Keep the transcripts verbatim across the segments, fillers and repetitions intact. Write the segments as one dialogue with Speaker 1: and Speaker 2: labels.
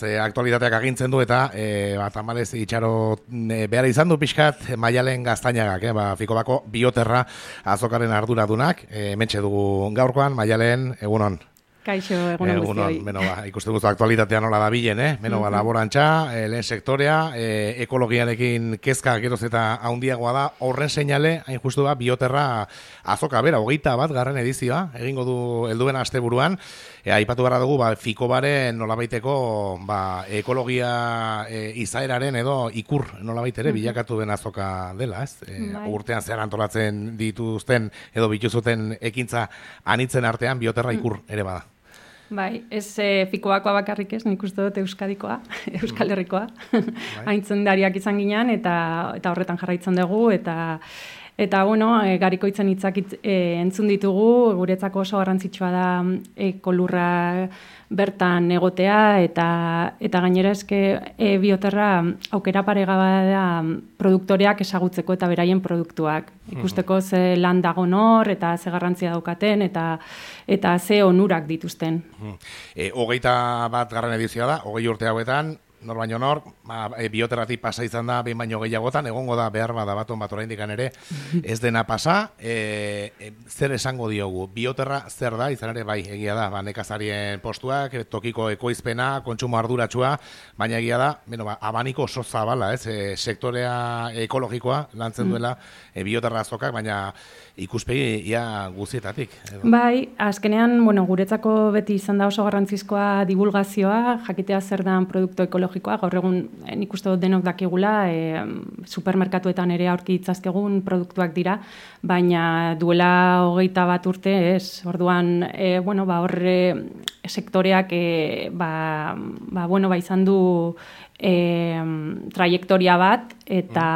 Speaker 1: Ze aktualitateak agintzen du eta e, bat amalez itxaro e, behar izan du pixkat Maialen Gaztainagak, eh? ba, Fikobako Bioterra azokaren arduradunak, e, hementxe dugu gaurkoan, Maialen, egunon.
Speaker 2: Kaixo, egunon guztioi.
Speaker 1: Beno, ba, ikusten duzu aktualitatea nola da bilen, eh? Beno, ba, laborantza, e, lehen sektorea, e, ekologiarekin kezka geroz eta haundiagoa da, horren seinale, hain justu da, Bioterra azoka, bera, hogeita bat garren edizioa, egingo du helduen asteburuan, e, aipatu gara dugu, ba, Fikobaren nolabaiteko, ba, ekologia e, izaeraren edo ikur nolabait ere bilakatu den azoka dela, ez? E, urtean zehar antolatzen dituzten edo bituzuten ekintza anitzen artean Bioterra ikur ere bada.
Speaker 2: Bai, ez e, Fikobakoa bakarrik ez, nik uste dut Euskadikoa, Euskal Herrikoa. Aintzendariak izan ginean eta eta horretan jarraitzen dugu eta eta bueno, e, garikoitzen hitzak e, entzun ditugu, guretzako oso garrantzitsua da ekolurra bertan egotea eta eta gainera eske e, Bioterra aukera paregabea da produktoreak ezagutzeko eta beraien produktuak. Ikusteko ze lan dago nor eta ze garrantzia daukaten eta eta ze onurak dituzten.
Speaker 1: E, hogeita bat garren edizioa da, hogei urte hauetan, nor baino nor, ba, e, Bioterratik pasa izan da behin baino gehiagotan, egongo da behar bada baton bat oraindik ere ez dena pasa, e, e, zer esango diogu? Bioterra zer da, izan ere bai, egia da, ba, nekazarien postuak, tokiko ekoizpena, kontsumo arduratsua, baina egia da, beno, ba, abaniko oso zabala, ez, e, sektorea ekologikoa lantzen duela e, Bioterra azokak, baina ikuspegi ia guztietatik. Edo.
Speaker 2: Bai, azkenean, bueno, guretzako beti izan da oso garrantzizkoa divulgazioa, jakitea zer dan produktu ekologikoa, gaur egun nik uste dut denok dakigula, e, supermerkatuetan ere aurki itzazkegun produktuak dira, baina duela hogeita bat urte, ez, orduan, e, bueno, ba, horre sektoreak, e, ba, ba, bueno, ba, izan du e, trajektoria bat, eta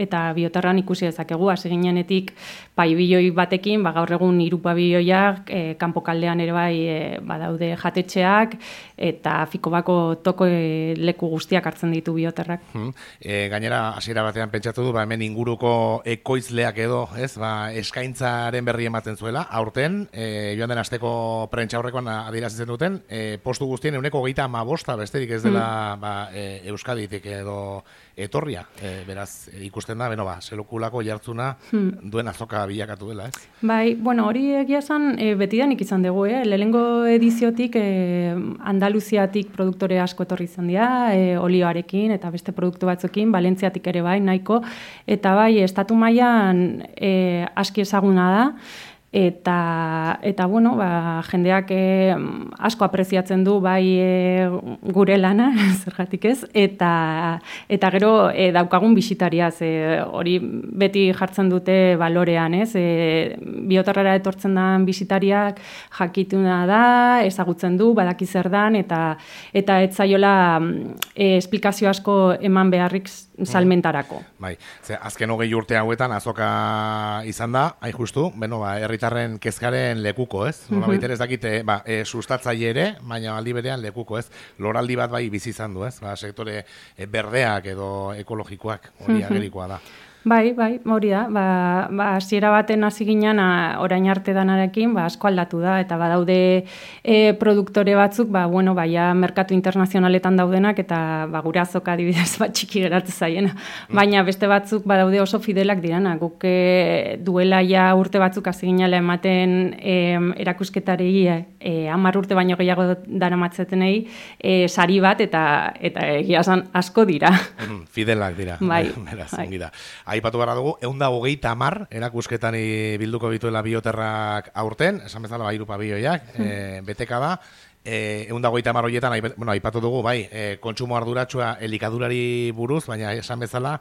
Speaker 2: eta Bioterran ikusi dezakegu, hasi ginenetik paibiloi batekin, ba, gaur egun hiru pabiloiak, e, kanpokaldean ere bai e, badaude jatetxeak, eta Fikobako toko e, leku guztiak hartzen ditu Bioterrak.
Speaker 1: Hmm. E, gainera, hasiera batean pentsatu du, ba, hemen inguruko ekoizleak edo, ez, ba, eskaintzaren berri ematen zuela, aurten, e, joan den asteko prentsaurrekoan adierazitzen duten, e, postu guztien euneko hogeita hamabosta besterik ez dela hmm. ba, e, Euskaditik edo etorria, e, beraz, e, ikusten da, beno ba, selokulako jartzuna hmm. duen azoka bilakatu dela, ez?
Speaker 2: Bai, bueno, hori egia esan, e, betidanik izan dugu, eh? Lehenengo ediziotik, e, Andaluziatik produktore asko etorri izan dira, e, olioarekin eta beste produktu batzuekin, Valentziatik ere bai, nahiko, eta bai, estatu mailan e, aski ezaguna da, Eta, eta bueno, ba, jendeak e, asko apreziatzen du bai e, gure lana, zergatik ez, eta, eta gero e, daukagun bisitariaz, e, hori beti jartzen dute balorean, ez, e, Bioterrara etortzen den bisitariak jakituna da, ezagutzen du, badaki zer dan, eta, eta ez zaiola e, esplikazio asko eman beharrik salmentarako.
Speaker 1: Bai, ze, azken hogei urte hauetan azoka izan da, hain justu, beno, ba, herritarren kezkaren lekuko, ez? Nola baita ez dakite, ba, e, sustatzaile ere, baina aldi berean lekuko, ez? Loraldi bat bai bizi izan du, ez? Ba, sektore e, berdeak edo ekologikoak, hori agerikoa da.
Speaker 2: Bai, bai, hori da, ba, ba, hasiera baten hasi ginen orain arte danarekin, ba, asko aldatu da, eta badaude e, produktore batzuk, ba, bueno, ba, ja, merkatu internazionaletan daudenak, eta ba, gure azoka adibidez bat txiki geratu zaiena. Baina beste batzuk badaude oso fidelak dirana, guk e, duela ja urte batzuk hasi ginela ematen e, erakusketari e, hamar urte baino gehiago daramatzetenei e, sari bat, eta eta egia esan asko dira.
Speaker 1: Fidelak dira.
Speaker 2: Bai,
Speaker 1: beraz,
Speaker 2: bai.
Speaker 1: Ongi da. Aipatu gara dugu, ehun eta hogeita hamar erakusketan bilduko bituela Bioterrak aurten, esan bezala ba, hiru pabiloiak, e, beteka da, ehun eta hogeita hamar horietan, bueno, aipatu dugu, bai, e, kontsumo arduratsua elikadurari buruz, baina esan bezala,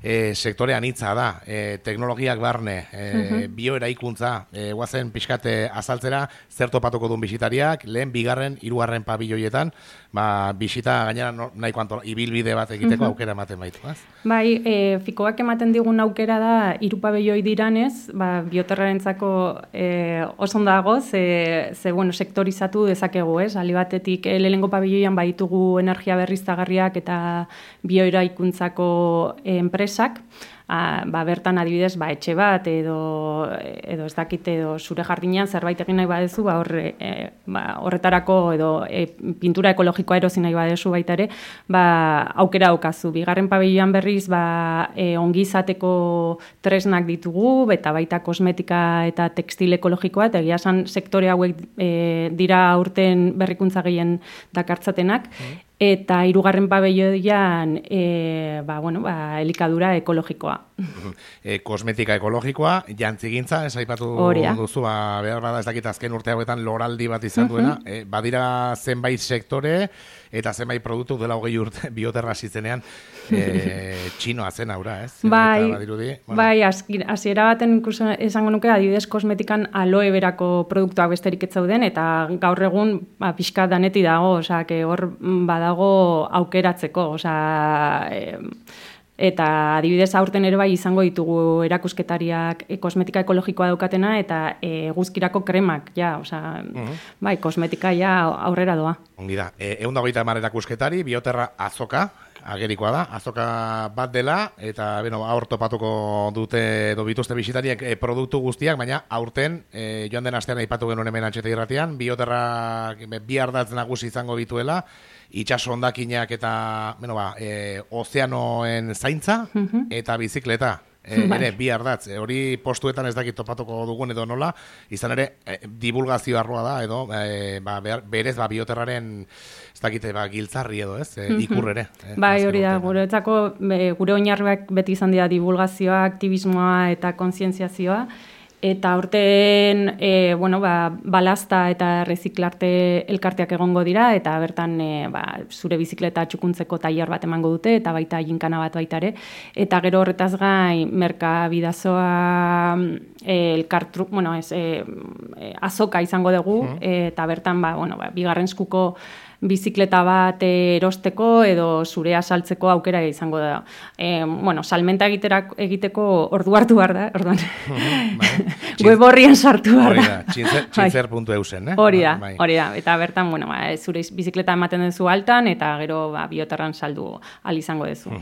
Speaker 1: e, sektore anitza da, e, teknologiak barne, e, bioeraikuntza, e, guazen pixkate azaltzera, zer topatuko duen bisitariak, lehen, bigarren, hirugarren pabiloietan, ba, bisita gainera no, nahiko antola, ibilbide bat egiteko uh-huh. aukera ematen baitu, ez?
Speaker 2: Bai, e, Fikoak ematen digun aukera da, hiru pabelloi diranez, ba, Bioterrarentzako e, oso ondo dago, ze, ze bueno, sektorizatu dezakegu, ez? Ali batetik, e, lehenengo pabelloian baditugu energia berriztagarriak eta bioeraikuntzako e, enpresak, a, ba, bertan adibidez ba, etxe bat edo, edo ez dakit edo zure jardinean zerbait egin nahi badezu, ba, horre, e, ba, horretarako edo e, pintura ekologikoa erosi nahi badezu baita ere, ba, aukera daukazu. Bigarren pabilioan berriz ba, e, ongizateko tresnak ditugu, eta baita kosmetika eta tekstil ekologikoa, eta egia esan sektore hauek e, dira aurten berrikuntza gehien dakartzatenak, mm. Eta hirugarren pabelloian e, ba, bueno, ba, elikadura ekologikoa.
Speaker 1: E, kosmetika ekologikoa, jantzigintza, ez aipatu duzu, ba, behar bada ez dakit azken urte hauetan loraldi bat izan duena, uh-huh. e, badira zenbait sektore eta zenbait produktu dela hogei urte bioterra zitzenean e, txinoa zen aura, ez?
Speaker 2: Bai,
Speaker 1: badirudi, bueno.
Speaker 2: bai hasiera baten ikusen esango nuke adibidez kosmetikan aloe berako produktuak besterik ez zauden, eta gaur egun ba, pixka daneti dago, osea, que hor bada dago aukeratzeko, osea, e, eta adibidez aurten ere bai izango ditugu erakusketariak e, kosmetika ekologikoa daukatena eta e, guzkirako kremak, ja, osea, uh-huh. bai, kosmetika ja aurrera doa.
Speaker 1: Ongi da, e, ehun eta hogeita hamar erakusketari, bioterra azoka, agerikoa da, azoka bat dela, eta beno, aur topatuko dute edo bituzte bisitariek e, produktu guztiak, baina aurten, e, joan den astean aipatu genuen hemen Antxeta irratian, bioterra bi ardatz nagusi izango dituela, itxaso hondakinak eta bueno, ba, e, ozeanoen zaintza uh-huh. eta bizikleta. E, ere, bi ardatz, e, hori postuetan ez dakit topatuko dugun edo nola, izan ere, e, divulgazio arroa da, edo, e, ba, berez, ba, bioterraren, ez dakite, ba, giltzarri edo, ez, e, ikur ere. E,
Speaker 2: bai, hori da, guretzako, gure oinarriak beti izan dira divulgazioa, aktivismoa eta kontzientziazioa, eta aurten e, bueno, ba, balazta eta reziklarte elkarteak egongo dira, eta bertan e, ba, zure bizikleta txukuntzeko tailer bat emango dute, eta baita ginkana bat baita ere, eta gero horretaz gain merkabidazoa e, elkartru, bueno, ez, e, e, azoka izango dugu, uh-huh. e, eta bertan ba, bueno, ba, bigarren eskuko bizikleta bat erosteko edo zurea saltzeko aukera izango da. E, bueno, salmenta egiterak, egiteko ordu hartu behar da, orduan. Web horrien sartu behar da.
Speaker 1: txintzer puntu e u zen, eh?
Speaker 2: Hori da, hori da. Eta bertan, bueno, ba, zure bizikleta ematen duzu altan, eta gero ba, bioterran saldu al izango duzu.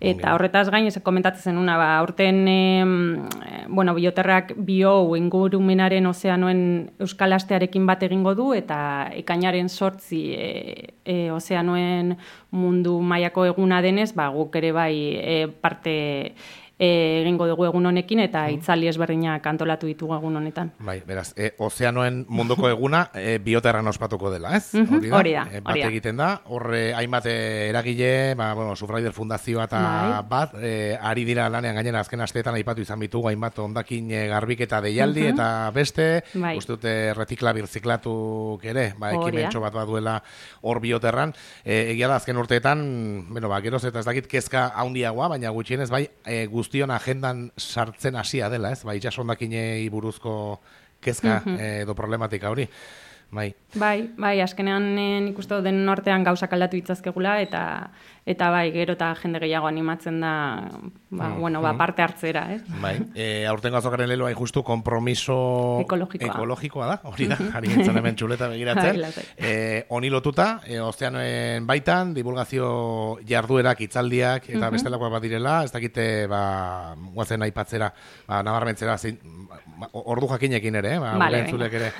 Speaker 2: Eta horretaz gain, ez komentatzen zenuna, ba, aurten, e, bueno, bioterrak bio ingurumenaren ozeanoen euskal astearekin bat egingo du, eta ekainaren sortzi e, E, ozeanoen mundu mailako eguna denez, ba, guk ere bai e, parte e, egingo dugu egun honekin, eta itzali ezberdinak antolatu ditugu egun honetan.
Speaker 1: Bai, beraz, e, ozeanoen munduko eguna e, bioterran ospatuko dela, ez?
Speaker 2: Hori da, hori da.
Speaker 1: E, bat egiten da, horre hainbat eragile, ba, bueno, Sufraider Fundazioa eta bai. bat, e, ari dira lanean gainera azken asteetan aipatu izan bitugu, hainbat ondakin e, garbiketa deialdi, uh-huh. eta beste, bai. uste dute retikla birziklatuk ere, ba, ekimentxo bat bat duela hor bioterran. E, egia da, azken urteetan, bueno, ba, geroz eta ez dakit kezka haundiagoa, baina gutxienez, bai, e, guztion agendan sartzen hasia dela, ez? Ba, itxasondakinei buruzko kezka uh-huh. edo problematika hori. Bai.
Speaker 2: Bai, bai, azkenean nik uste den nortean gauzak aldatu ditzazkegula, eta eta bai, gero eta jende gehiago animatzen da, ba, mm, bueno, ba, parte hartzera, ez?
Speaker 1: Bai, e, aurtengo azokaren leloa justu kompromiso
Speaker 2: ekologikoa,
Speaker 1: ekologikoa da, hori da, ari gintzen hemen txuleta begiratzen. e, Oni lotuta, e, ozeanoen baitan, divulgazio jarduerak, itzaldiak, eta uh-huh. bestelakoak bat direla, ez dakite, ba, guazen aipatzera, ba, nabarmentzera, zein, ordu jakinekin ere, eh? Ba, vale, entzulek ere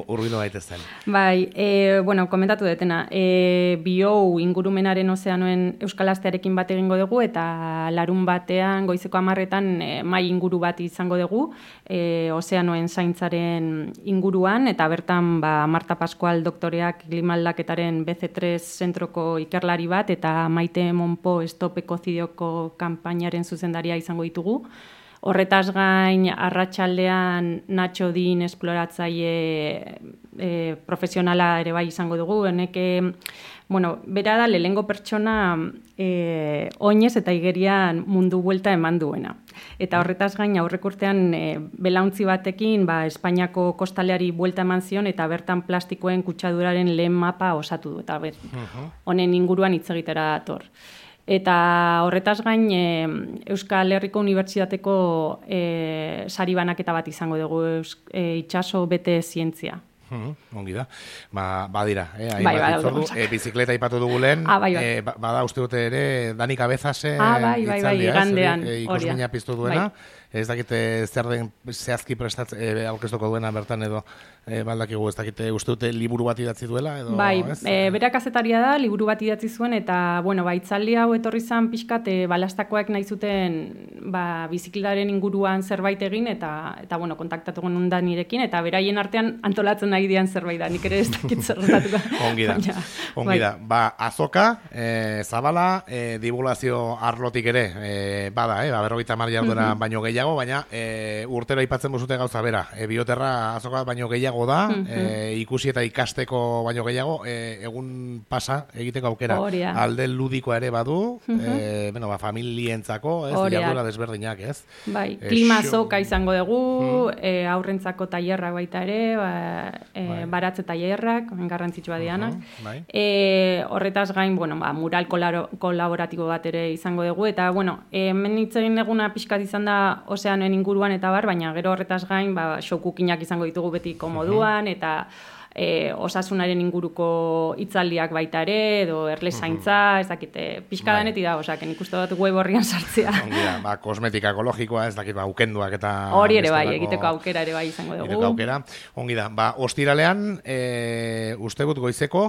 Speaker 1: urbildu daitezen.
Speaker 2: Bai, e, bueno, komentatu detena, e, bio ingurumenaren ozeanoen euskal astearekin bat egingo dugu, eta larun batean, goizeko hamarretan, e, mai inguru bat izango dugu, e, ozeanoen zaintzaren inguruan, eta bertan, ba, Marta Pascual doktoreak klimaldaketaren be ce tres zentroko ikerlari bat, eta Maite Monpo Stop Ekocidioko kanpainaren zuzendaria izango ditugu. Horretaz gain, arratsaldean Nacho Din esploratzaile e, profesionala ere bai izango dugu. Honeke, bueno, bera da lehengo pertsona e, oinez eta igerian mundu buelta eman duena. Eta horretaz gain, aurrek urtean e, belauntzi batekin, ba, Espainiako kostaleari buelta eman zion, eta bertan plastikoen kutsaduraren lehen mapa osatu du. Eta ber, honen inguruan hitz egitera dator. Eta horretaz gain, e, Euskal Herriko Unibertsitateko e, sari banaketa bat izango dugu, e, itxaso bete zientzia.
Speaker 1: Mm, ongi da. Ba, badira, eh,
Speaker 2: bai, bai,
Speaker 1: hitzordu, e, bizikleta ipatu dugu lehen,
Speaker 2: ah, bai, bai.
Speaker 1: E, bada uste dute ere Dani Cabezase
Speaker 2: ah, bai, bai, bai, igandean,
Speaker 1: e, ikusmina piztu duena, bai. Ez dakite zer den zehazki prestatze e, aurkeztuko duena bertan edo e, baldakigu, ez dakite uste dute liburu bat idatzi duela edo,
Speaker 2: bai,
Speaker 1: ez?
Speaker 2: E, bera kazetaria da, liburu bat idatzi zuen eta, bueno, ba, itzaldi hau etorri zan pixkat e, balastakoak nahi zuten ba, bizikletaren inguruan zerbait egin eta, eta bueno, kontaktatu genuen da nirekin eta beraien artean antolatzen nahi dian zerbait da, nik ere ez dakit zerratatuko.
Speaker 1: Ongi da, ja, ongi da. Bai. Ba, azoka, e, zabala, e, divulgazio arlotik ere, e, bada, e, ba, berrogeita hamar jarduera uh-huh. baino gehiago, baina e, urtero aipatzen bozute gauza bera. E, bioterra azoka baino gehiago da, uh-huh. e, ikusi eta ikasteko baino gehiago, e, egun pasa egiteko aukera. Oria. Alde ludikoa ere badu, uh-huh. e, bueno, ba, familientzako, ez, jarduera desberdinak, ez?
Speaker 2: Bai, e, klima azoka izango dugu, uh-huh. e, aurrentzako tailerrak baita ere, ba, e, bai. Baratze tailerrak, garrantzitsua dianak. Uh-huh. Bai. E, horretaz gain, bueno, ba, mural kolaboratibo bat ere izango dugu, eta, bueno, hemen hitz egin eguna pixkat izan da ozeanoen inguruan eta bar, baina gero horretaz gain, ba, shokukinak izango ditugu beti komoduan, uh-huh. eta e, osasunaren inguruko hitzaldiak baita ere, edo erlezaintza, uh-huh. ez dakite, pixka daneti da, osak, nik uste dut web horrian sartzea.
Speaker 1: Ongira, ba, kosmetika ekologikoa, ez dakit, ba, ukenduak eta...
Speaker 2: Hori ere bai, egiteko aukera ere bai izango dugu.
Speaker 1: Egiteko aukera, ongi da, ba, ostiralean, e, uste gut goizeko,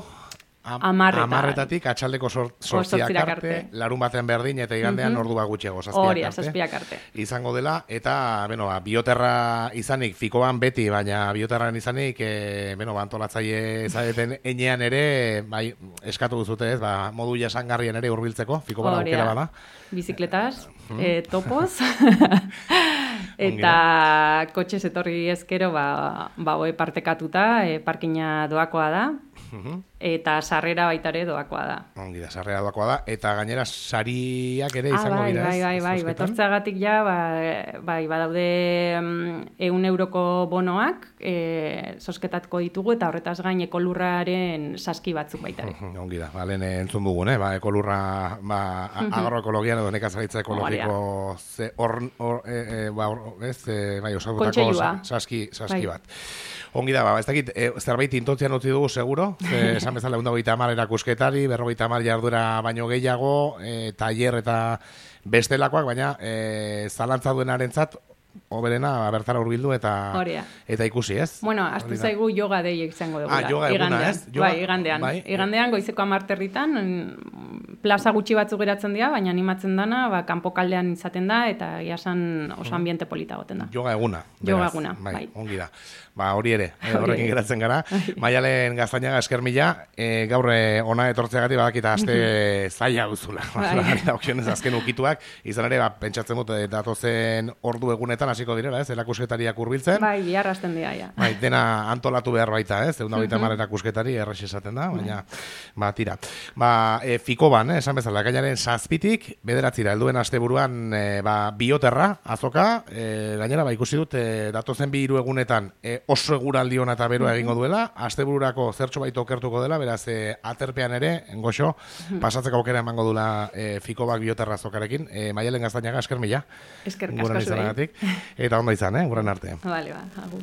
Speaker 2: Amarreta.
Speaker 1: Amarretatik atxaldeko sortziak arte, larun batean berdin eta igandean uh-huh. ordu bat gutxiago,
Speaker 2: zazpiak arte. Zazpiak arte.
Speaker 1: Izango dela, eta, bueno, ba, bioterra izanik, fikoan beti, baina bioterran izanik, e, bueno, ba, antolatzaile zaeten enean ere, bai, eskatu duzute ez, ba, modu jasangarrien ere hurbiltzeko, fiko bala aukera bada.
Speaker 2: Bizikletaz, uh-huh. e, topoz, eta kotxe etorri ezkero, ba, ba, oe partekatuta, e, parkina doakoa da, uh-huh. eta sarrera baita ere doakoa da.
Speaker 1: Ongi da, sarrera doakoa da, eta gainera sariak ere izango
Speaker 2: ah, bai,
Speaker 1: dira,
Speaker 2: ez? Bai, bai, bai, betortzeagatik ja, bai, bai, badaude ehun euroko bonoak, e, zozketatko ditugu, eta horretaz gain ekolurraren saski batzuk baita ere.
Speaker 1: Uh-huh. Ongi da, ba, lehen entzun dugun, eh? ba, ekolurra, ba, uh-huh. agroekologian edo nekazaritza ekologiko, ze, or, or, e, e, ba, or, ez, e, bai, osagutako saski, saski bai. bat. Ongi da, ba, ez dakit, e, zerbait intotzian utzi dugu, seguro, ze, esan bezala, ehun eta hogeita hamar erakusketari, berrogeita hamar jarduera baino gehiago, e, tailer eta bestelakoak, baina e, zalantza duenarentzat, hoberena bertara hurbildu eta Oria. Eta ikusi, ez?
Speaker 2: Bueno, astu zaigu yoga dei izango dugu.
Speaker 1: Ah, yoga eguna, ez?
Speaker 2: Yoga? Bai, igandean. Bai. Igandean goizeko hamarterritan, plaza gutxi batzuk geratzen dira, baina animatzen dana, ba, kanpokaldean izaten da, eta iasan oso ambiente polita goten da.
Speaker 1: Yoga eguna.
Speaker 2: Yoga eguna,
Speaker 1: bai.
Speaker 2: bai.
Speaker 1: Ongi da. Ba, hori ere, horrekin geratzen gara. Maialen Gaztañaga esker mila, e, gaur ona etortzeagatik badakita aste zaila duzula. Okionez azken ukituak, izan ere, ba, pentsatzen dut, datozen ordu egunetan hasiko direla, ez? Erakusketariak hurbiltzen.
Speaker 2: Bai, bihar hasten dira, ja.
Speaker 1: Bai, dena antolatu behar baita, ez? Ehun eta hogeita hamar erakusketari errex esaten da, baina, ba, tira. Ba, e, Fikoban, eh, esan bezala, gainaren zazpitik, bederatzira, helduen asteburuan, e, ba, bioterra, azoka, e, gainera, ba, ikusi dut, e, datozen bi hiru egunetan, e, oso eguraldi ona eta beroa egingo duela, astebururako zertxo baita okertuko dela, beraz, e, aterpean ere, goxo, pasatzeko aukera emango dula e, Fikobak bioterra azokarekin. E, Maialen Gaztañaga, esker mila.
Speaker 2: Esker kasko zuei.
Speaker 1: Eta ondo izan, eh, guran arte.
Speaker 2: Vale, ba, agur.